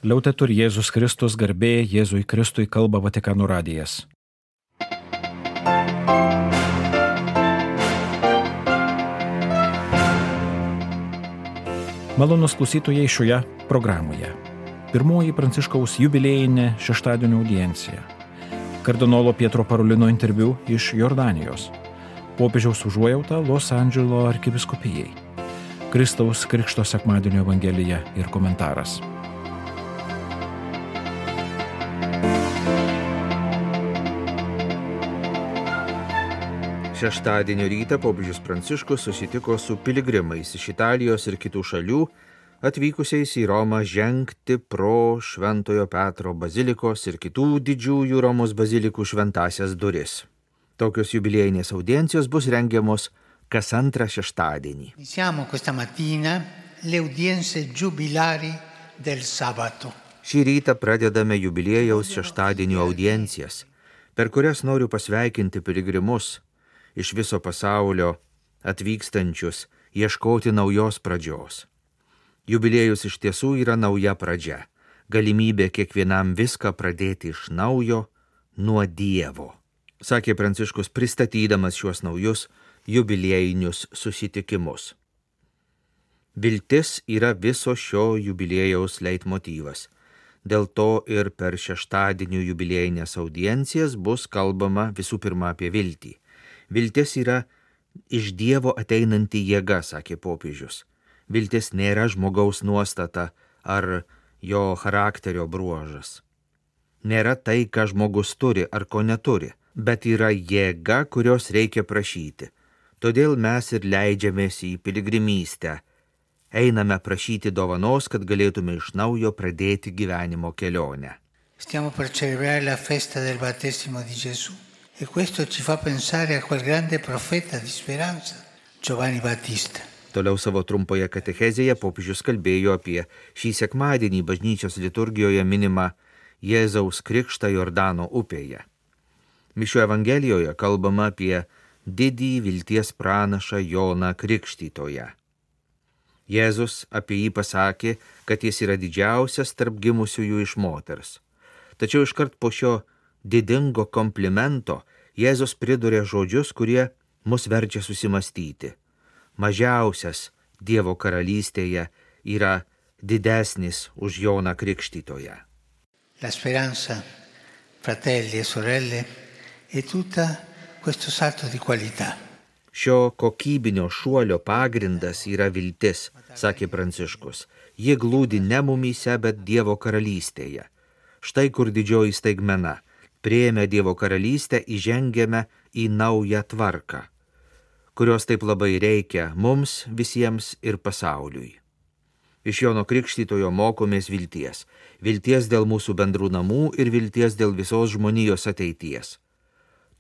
Liaudetur Jėzus Kristus, garbė Jėzui Kristui, kalba Vatikano radijas. Malonūs klausytojai šioje programoje. Pirmoji Pranciškaus jubiliejinė šeštadienio audiencija. Kardinolo Pietro Parolino interviu iš Jordanijos. Popiežiaus užuojauta Los Andželo arkivyskupijai. Kristaus Krikšto sekmadienio evangelija ir komentaras. Šeštadienio rytą popiežius Pranciškus susitiko su piligrimais iš Italijos ir kitų šalių, atvykusiais į Romą žengti pro Šventojo Petro bazilikos ir kitų didžiųjų Romos bazilikų šventąsias duris. Tokios jubiliejinės audiencijos bus rengiamos kas antrą šeštadienį. Iniziamo questa mattina le udienze giubilari del sabato. Šį rytą pradedame jubiliejaus šeštadienio audiencijas, per kurias noriu pasveikinti piligrimus iš viso pasaulio atvykstančius ieškoti naujos pradžios. Jubiliejus iš tiesų yra nauja pradžia, galimybė kiekvienam viską pradėti iš naujo nuo Dievo, sakė Pranciškus pristatydamas šiuos naujus jubiliejinius susitikimus. Viltis yra viso šio jubiliejaus leitmotyvas. Dėl to ir per šeštadienio jubiliejinės audiencijas bus kalbama visų pirma apie viltį. Viltis yra iš Dievo ateinanti jėga, sakė popiežius. Viltis nėra žmogaus nuostata ar jo charakterio bruožas. Nėra tai, ką žmogus turi ar ko neturi, bet yra jėga, kurios reikia prašyti. Todėl mes ir leidžiamės į piligrimystę. Einame prašyti dovanos, kad galėtume iš naujo pradėti gyvenimo kelionę. Stiamo per celebrare la festa del battesimo di Gesù. E questo ci fa pensare a quel grande profeta di speranza, Giovanni Battista. Toliau savo trumpoje katechezėje popiežius kalbėjo apie šį sekmadienį bažnyčios liturgijoje minimą Jėzaus krikštą Jordano upėje. Mišių evangelijoje kalbama apie didį vilties pranašą Joną Krikštytoją. Jėzus apie jį pasakė, kad jis yra didžiausias tarp gimusiųjų iš moters. Tačiau iškart po šio didingo komplimento Jėzus pridurė žodžius, kurie mus verčia susimastyti. Mažiausias Dievo karalystėje yra didesnis už Joną Krikštytoją. La speranza, fratelli e sorelle, è tutta questo salto di qualità. Šio kokybinio šuolio pagrindas yra viltis, sakė Pranciškus. Ji glūdi ne mumyse, bet Dievo karalystėje. Štai kur didžioji staigmena. Priėmę Dievo karalystę įžengėme į naują tvarką, kurios taip labai reikia mums visiems ir pasauliui. Iš Jono Krikštytojo mokomės vilties. Vilties dėl mūsų bendrų namų ir vilties dėl visos žmonijos ateities.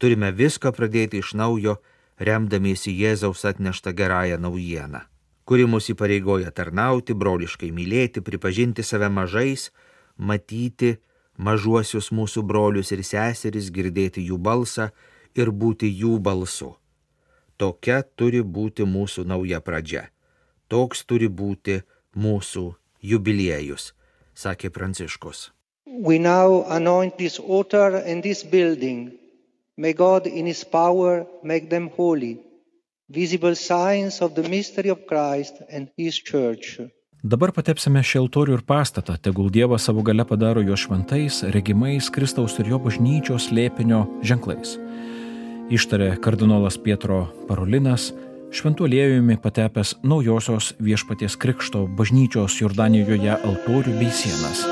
Turime viską pradėti iš naujo, remdamiesi Jėzaus atneštą gerąją naujieną, kuri mus įpareigoja tarnauti, broliškai mylėti, pripažinti save mažais, matyti mažuosius mūsų brolius ir seseris, girdėti jų balsą ir būti jų balsu. Tokia turi būti mūsų nauja pradžia. Toks turi būti mūsų jubiliejus, sakė Pranciškus. We now anoint this altar and this building. May God in His power make them holy, visible signs of the mystery of Christ and His Church. Dabar patepsime šį altorių ir pastatą, tegul Dievas savo galia padaro jo šventais, regimais Kristaus ir jo bažnyčios slėpinio ženklais. Ištarė kardinolas Pietro Parolinas, šventu aliejumi patepęs naujosios Viešpaties Krikšto bažnyčios Jordanijoje altorių bei sienas.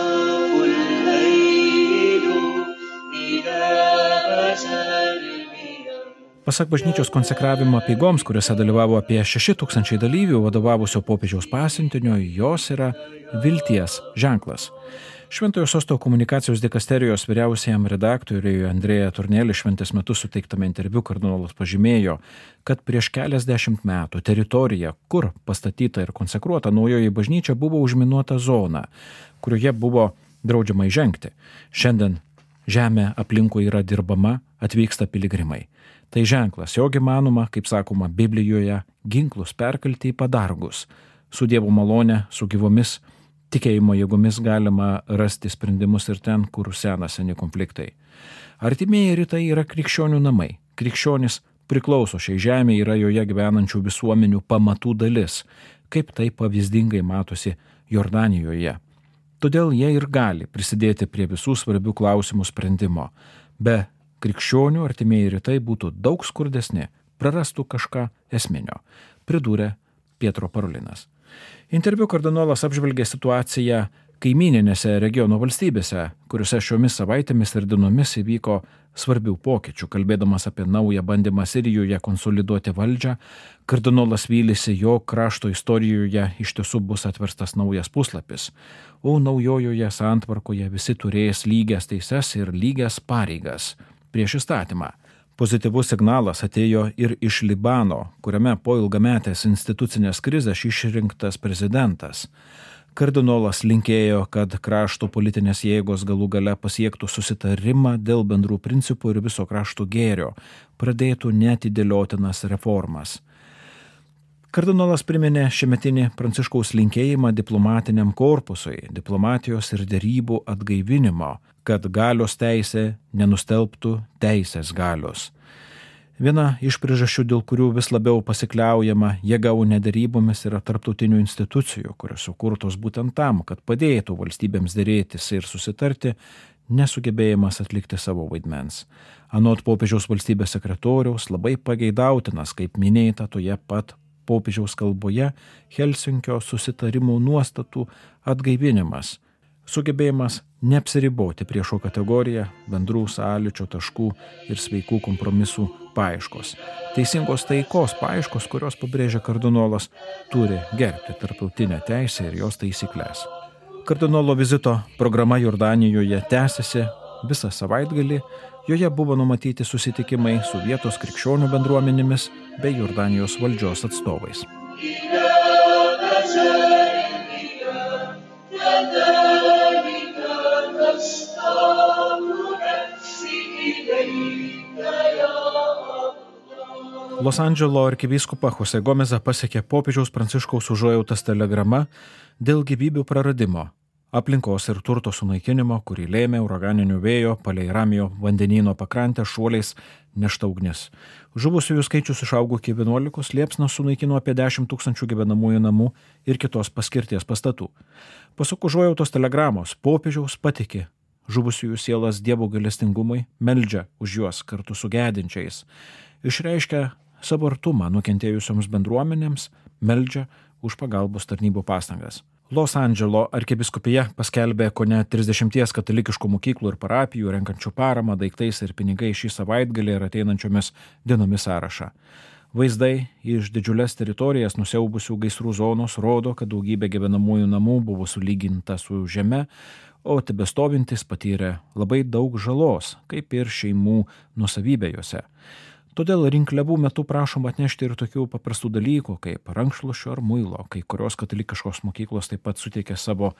Pasak bažnyčios konsekravimo apeigoms, kuriuose dalyvavo apie 6,000 dalyvių vadovavusio popiežiaus pasiuntinio, jos yra vilties ženklas. Šventojo Sosto komunikacijos dikasterijos vyriausiajam redaktoriui Andrėja Tornelį šventės metu suteiktame interviu kardinolas pažymėjo, kad prieš keliasdešimt metų teritorija, kur pastatyta ir konsekruota naujoji bažnyčia, buvo užminuota zona, kurioje buvo draudžiama įžengti. Šiandien žemė aplinkui yra dirbama, atvyksta piligrimai. Tai ženklas, jog įmanoma, kaip sakoma Biblijoje, ginklus perkelti į padargus, su Dievo malone, su gyvomis Tikėjimo jėgomis galima rasti sprendimus ir ten, kur sena seni konfliktai. Artimieji rytai yra krikščionių namai. Krikščionis priklauso šiai žemė, yra joje gyvenančių visuomenių pamatų dalis, kaip tai pavyzdingai matosi Jordanijoje. Todėl jie ir gali prisidėti prie visų svarbių klausimų sprendimo. Be krikščionių artimieji rytai būtų daug skurdesni, prarastų kažką esminio, pridūrė Pietro Parolinas. Interviu kardinolas apžvelgė situaciją kaimyninėse regiono valstybėse, kuriuose šiomis savaitėmis ir dienomis įvyko svarbių pokyčių. Kalbėdamas apie naują bandymą Sirijoje konsoliduoti valdžią, kardinolas vylėsi, jog krašto istorijoje iš tiesų bus atverstas naujas puslapis, o naujojoje santvarkoje visi turės lygias teises ir lygias pareigas prieš įstatymą. Pozityvus signalas atėjo ir iš Libano, kuriame po ilgametės institucinės krizės išrinktas prezidentas. Kardinolas linkėjo, kad krašto politinės jėgos galų gale pasiektų susitarimą dėl bendrų principų ir viso krašto gėrio, pradėtų neatidėliotinas reformas. Kardinolas priminė šiemetinį Pranciškaus linkėjimą diplomatiniam korpusui, diplomatijos ir derybų atgaivinimo, kad galios teisė nenustelbtų teisės galios. Viena iš priežasčių, dėl kurių vis labiau pasikliaujama jėga, o ne derybomis, yra tarptautinių institucijų, kurios sukurtos būtent tam, kad padėtų valstybėms dėrėtis ir susitarti, nesugebėjimas atlikti savo vaidmens. Anot popiežiaus valstybės sekretoriaus labai pageidautinas, kaip minėta toje pat popiežiaus kalboje, Helsinkio susitarimų nuostatų atgaivinimas, sugebėjimas neapsiriboti priešo kategoriją, bendrų sąlyčio taškų ir sveikų kompromisų paieškos. Teisingos taikos paieškos, kurios pabrėžia kardinolas, turi gerbti tarptautinę teisę ir jos taisyklės. Kardinolo vizito programa Jordanijoje tęsiasi visą savaitgalį. Joje buvo numatyti susitikimai su vietos krikščionių bendruomenėmis bei Jordanijos valdžios atstovais. Los Andželo arkivyskupą Jose Gomezą pasiekė popiežiaus Pranciškaus užuojautos telegrama dėl gyvybių praradimo, aplinkos ir turto sunaikinimo, kurį lėmė uraganinių vėjo palei Ramijo vandenyno pakrantę šuoliais nešta ugnis. Žuvusiųjų skaičius išaugo iki 11, liepsnos sunaikino apie 10 000 gyvenamųjų namų ir kitos paskirties pastatų. Pasak užuojautos telegramos, popiežiaus patikė žuvusiųjų sielas Dievo gailestingumui, meldžia už juos kartu su gedinčiais, išreiškia savo artumą nukentėjusioms bendruomenėms, meldžia už pagalbos tarnybų pastangas. Los Andželo arkivyskupija paskelbė kone 30 katalikiškų mokyklų ir parapijų renkančių paramą daiktais ir pinigais šį savaitgalį ir ateinančiomis dienomis sąrašą. Vaizdai iš didžiulės teritorijas nusiaubusių gaisrų zonos rodo, kad daugybė gyvenamųjų namų buvo sulyginta su žeme, o tebestovintis patyrė labai daug žalos, kaip ir šeimų nuosavybė juose. Todėl rinkliavų metu prašoma atnešti ir tokių paprastų dalykų, kaip rankšluosčio ar muilo. Kai kurios katalikiškos mokyklos taip pat suteikė savo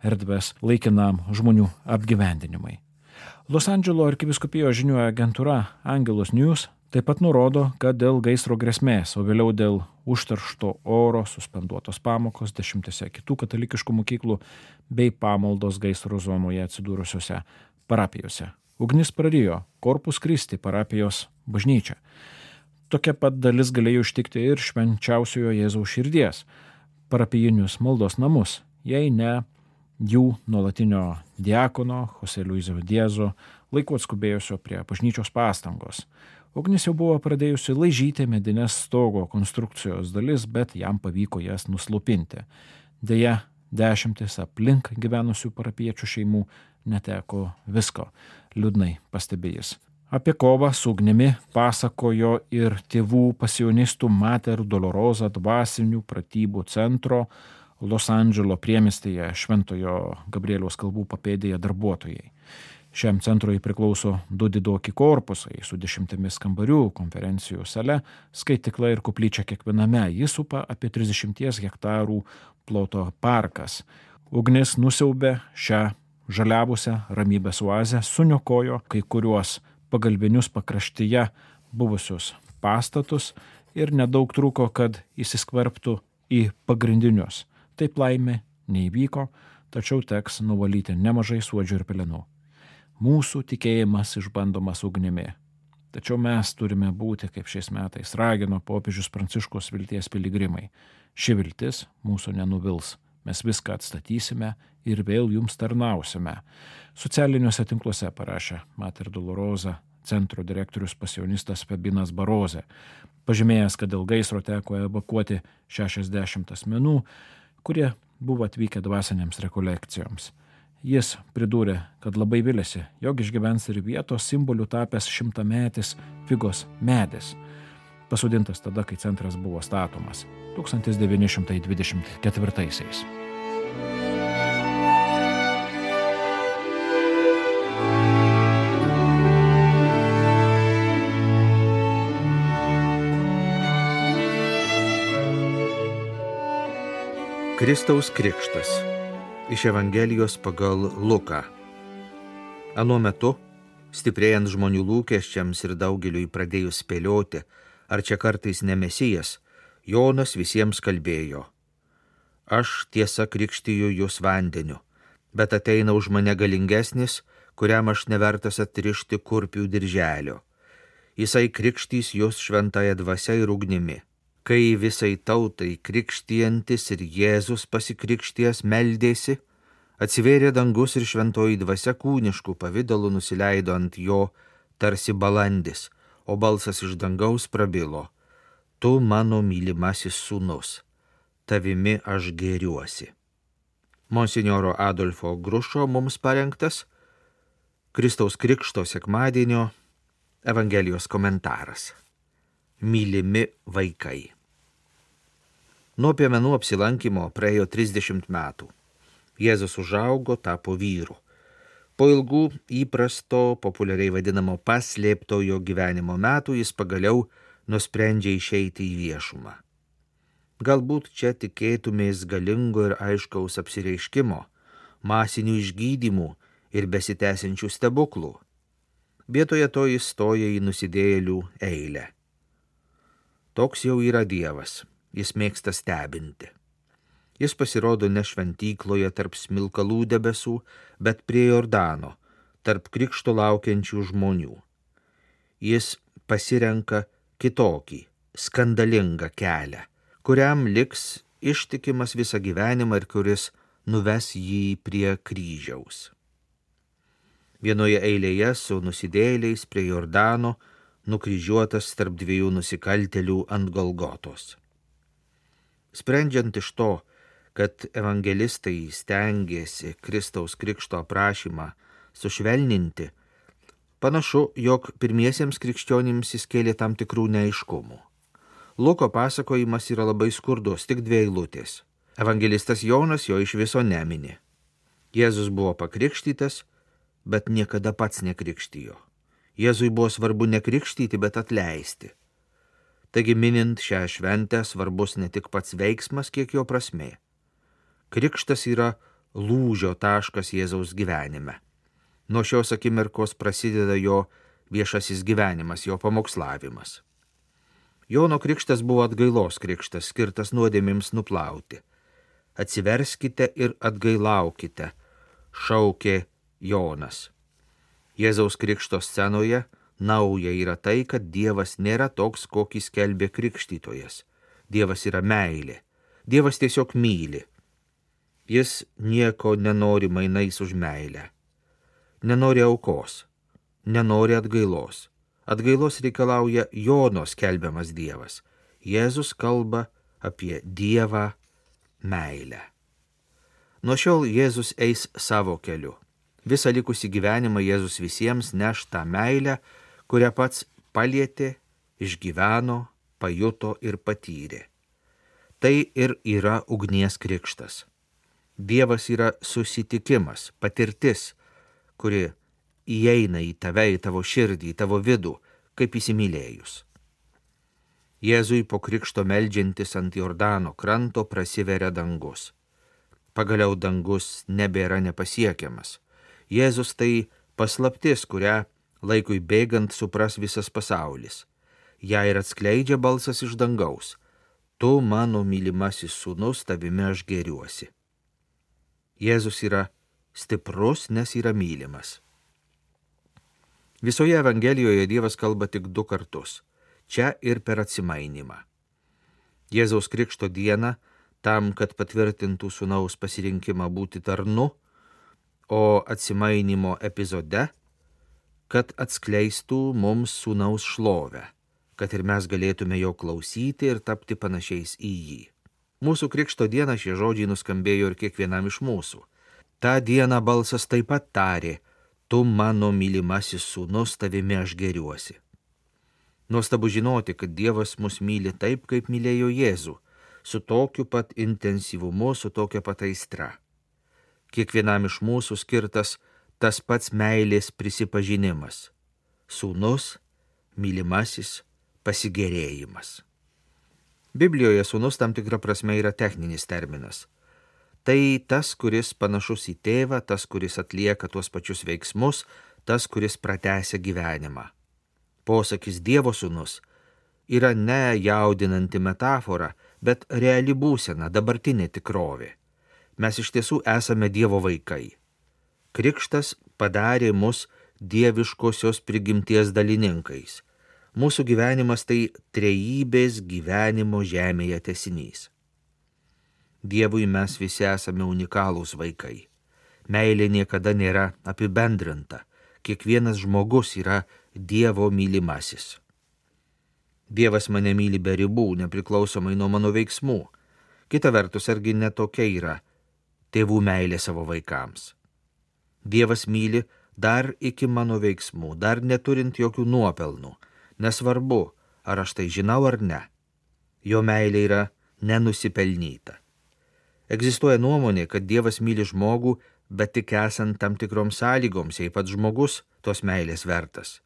erdves laikinam žmonių apgyvendinimui. Los Andželo arkivyskupijos žinių agentūra Angelus News taip pat nurodo, kad dėl gaisro grėsmės, o vėliau dėl užteršto oro suspenduotos pamokos 10 kitų katalikiškų mokyklų bei pamaldos gaisro zonoje atsidūrusiose parapijose. Ugnis prarijo Corpus Christi parapijos bažnyčią. Tokia pat dalis galėjo ištikti ir švenčiausiojo Jėzaus širdies parapijinius maldos namus, jei ne jų nuolatinio diakono Jose Luiso Diezo laiku atskubėjusio prie bažnyčios pastangos. Ugnis jau buvo pradėjusi laižyti medinės stogo konstrukcijos dalis, bet jam pavyko jas nuslopinti. Deja, 10 aplink gyvenusių parapiečių šeimų neteko visko, liūdnai pastebėjęs. Apie kovą su ugnimi pasakojo ir tėvų pasionistų Mater Dolorosa dvasinių pratybų centro Los Andželo priemiestyje Šventojo Gabrieliaus kalvų papėdėje darbuotojai. Šiam centrui priklauso 2 didoki korpusai su 10 kambarių, konferencijų sale, skaitykla ir koplyčia kiekviename. Jis supa apie 30 hektarų ploto parkas. Ugnis nusiaubė šią žaliavusią ramybės oazę, suniokojo kai kuriuos pagalbinius pakraštyje buvusius pastatus ir nedaug trūko, kad įsiskverbtų į pagrindinius. Taip laimė neįvyko, tačiau teks nuvalyti nemažai suodžių ir pelenų. Mūsų tikėjimas išbandomas ugnimi. Tačiau mes turime būti, kaip šiais metais ragino popiežius Pranciškus, vilties piligrimai. Ši viltis mūsų nenuvils. Mes viską atstatysime ir vėl jums tarnausime. Socialiniuose tinkluose parašė Mater Dolorosa centro direktorius pasionistas Fabinas Barozė, pažymėjęs, kad dėl gaisro teko evakuoti 60 asmenų, kurie buvo atvykę dvasiniams rekolekcijoms. Jis pridūrė, kad labai vilėsi, jog išgyvens ir vietos simboliu tapęs 100-metis figos medis, pasodintas tada, kai centras buvo statomas 1924-aisiais. Kristaus krikštas iš Evangelijos pagal Luką. Anuo metu, stiprėjant žmonių lūkesčiams ir daugeliui pradėjus spėlioti, ar čia kartais ne Mesijas, Jonas visiems kalbėjo: Aš tiesa krikštiju jūs vandeniu, bet ateina už mane galingesnis, kuriam aš nevertas atrišti kurpių dirželio. Jisai krikštys jūs šventąja dvasia ir ugnimi. Kai visai tautai krikštijantis ir Jėzus pasikrikštijęs meldėsi, atsivėrė dangus ir šventoji dvasia kūniškų pavidalų nusileido ant jo tarsi balandis, o balsas iš dangaus prabilo: Tu mano mylimasis sūnus, tavimi aš gėriuosi. Monsinjoro Adolfo Grušo mums parengtas Kristaus krikšto sekmadienio Evangelijos komentaras. Mylimi vaikai. Nuo piemenų apsilankimo praėjo 30 metų. Jėzus užaugo, tapo vyru. Po ilgų įprasto, populiariai vadinamo paslėptojo gyvenimo metų jis pagaliau nusprendžia išeiti į viešumą. Galbūt čia tikėtumės galingo ir aiškaus apsireiškimo, masinių išgydymų ir besitęsiančių stebuklų. Vietoje to jis stoja į nusidėjėlių eilę. Toks jau yra Dievas, jis mėgsta stebinti. Jis pasirodo ne šventykloje tarp smilkalų debesų, bet prie Jordano, tarp krikšto laukiančių žmonių. Jis pasirenka kitokį, skandalingą kelią, kuriam liks ištikimas visą gyvenimą ir kuris nuves jį prie kryžiaus. Vienoje eilėje su nusidėjėliais prie Jordano nukryžiuotas tarp dviejų nusikaltėlių ant Golgotos. Sprendžiant iš to, kad evangelistai stengėsi Kristaus krikšto aprašymą sušvelninti, panašu, jog pirmiesiems krikščionims jis kėlė tam tikrų neaiškumų. Luko pasakojimas yra labai skurdus, tik 2 eilutės. Evangelistas Jonas jo iš viso nemini. Jėzus buvo pakrikštytas, bet niekada pats nekrikštijo. Jėzui buvo svarbu nekrikštyti, bet atleisti. Taigi minint šią šventę svarbus ne tik pats veiksmas, kiek jo prasmė. Krikštas yra lūžio taškas Jėzaus gyvenime. Nuo šios akimirkos prasideda jo viešasis gyvenimas, jo pamokslavimas. Jono krikštas buvo atgailos krikštas, skirtas nuodėmėms nuplauti. Atsiverskite ir atgailaukite, šaukė Jonas. Jėzaus krikšto scenoje nauja yra tai, kad Dievas nėra toks, kokį skelbė krikštytojas. Dievas yra meilė. Dievas tiesiog myli. Jis nieko nenori mainais už meilę. Nenori aukos. Nenori atgailos. Atgailos reikalauja Jono skelbiamas Dievas. Jėzus kalba apie Dievą meilę. Nuo šiol Jėzus eis savo keliu. Visą likusį gyvenimą Jėzus visiems neš tą meilę, kurią pats palietė, išgyveno, pajuto ir patyrė. Tai ir yra ugnies krikštas. Dievas yra susitikimas, patirtis, kuri įeina į tave, į tavo širdį, į tavo vidų, kaip įsimylėjus. Jėzui po krikšto meldžiantis ant Jordano kranto prasiveria dangus. Pagaliau dangus nebėra nepasiekiamas. Jėzus tai paslaptis, kurią laikui bėgant supras visas pasaulis. Ja ir atskleidžia balsas iš dangaus: Tu mano mylimasis sūnus, tavimi aš gėriuosi. Jėzus yra stiprus, nes yra mylimas. Visoje Evangelijoje Dievas kalba tik 2 kartus – čia ir per atsimainimą. Jėzaus Krikšto dieną tam, kad patvirtintų sūnaus pasirinkimą būti tarnu, o atsimainimo epizode, kad atskleistų mums sūnaus šlovę, kad ir mes galėtume jo klausyti ir tapti panašiais į jį. Mūsų Krikšto dieną šie žodžiai nuskambėjo ir kiekvienam iš mūsų. Ta diena balsas taip pat tarė: tu mano mylimasis sūnus, tavimi aš gėriuosi. Nuostabu žinoti, kad Dievas mus myli taip, kaip mylėjo Jėzų, su tokiu pat intensyvumu, su tokia pat aistra. Kiekvienam iš mūsų skirtas tas pats meilės prisipažinimas – sūnus, mylimasis, pasigėrėjimas. Biblijoje sūnus tam tikra prasme yra techninis terminas. Tai tas, kuris panašus į tėvą, tas, kuris atlieka tuos pačius veiksmus, tas, kuris pratęsia gyvenimą. Posakis Dievo sūnus yra ne jaudinanti metafora, bet reali būsena, dabartinė tikrovė. Mes iš tiesų esame Dievo vaikai. Krikštas padarė mus dieviškosios prigimties dalininkais. Mūsų gyvenimas tai trejybės gyvenimo žemėje tęsinys. Dievui mes visi esame unikalūs vaikai. Meilė niekada nėra apibendrinta. Kiekvienas žmogus yra Dievo mylimasis. Dievas mane myli be ribų, nepriklausomai nuo mano veiksmų. Kita vertus, argi netokia yra tėvų meilė savo vaikams. Dievas myli dar iki mano veiksmų, dar neturint jokių nuopelnų. Nesvarbu, ar aš tai žinau ar ne. Jo meilė yra nenusipelnyta. Egzistuoja nuomonė, kad Dievas myli žmogų, bet tik esant tam tikroms sąlygoms, jei pats žmogus tos meilės vertas.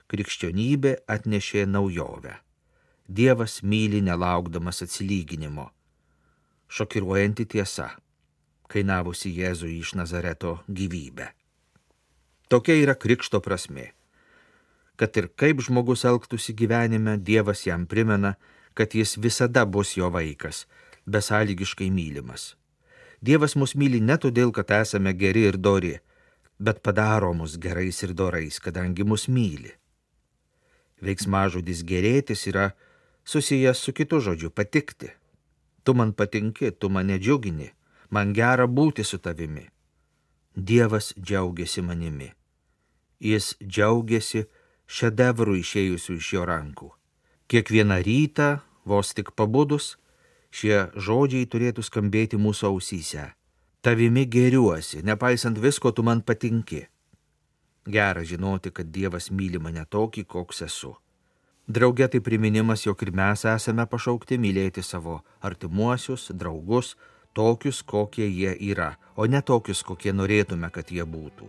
Krikščionybė atnešė naujovę. Dievas myli nelaukdamas atsilyginimo. Šokiruojanti tiesa, kainavusi Jėzui iš Nazareto gyvybę. Tokia yra krikšto prasmė. Kad ir kaip žmogus elgtųsi gyvenime, Dievas jam primena, kad jis visada bus jo vaikas, besąlygiškai mylimas. Dievas mus myli ne todėl, kad esame geri ir dori, bet padaro mus gerais ir dorais, kadangi mus myli. Veiksmažodis gerėtis yra susijęs su kitu žodžiu patikti. Tu man patinki, tu mane džiugini, man gera būti su tavimi. Dievas džiaugiasi manimi. Jis džiaugiasi šedevrų išėjusių iš jo rankų. Kiekvieną rytą, vos tik pabudus, šie žodžiai turėtų skambėti mūsų ausyse. Tavimi gėriuosi, nepaisant visko, tu man patinki. Gera žinoti, kad Dievas myli mane tokį, koks esu. Drauge tai priminimas, jog ir mes esame pašaukti mylėti savo artimuosius, draugus, tokius, kokie jie yra, o ne tokius, kokie norėtume, kad jie būtų.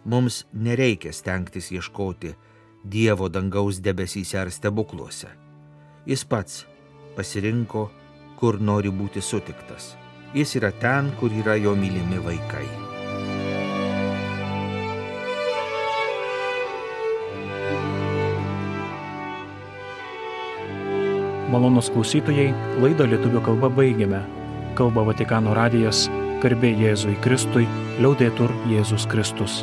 Mums nereikia stengtis ieškoti Dievo dangaus debesyse ar stebukluose. Jis pats pasirinko, kur nori būti sutiktas. Jis yra ten, kur yra jo mylimi vaikai. Malonūs klausytojai, laidą lietuvių kalba baigėme. Kalba Vatikano radijas, garbė Jėzui Kristui, liaudetur Jėzus Kristus.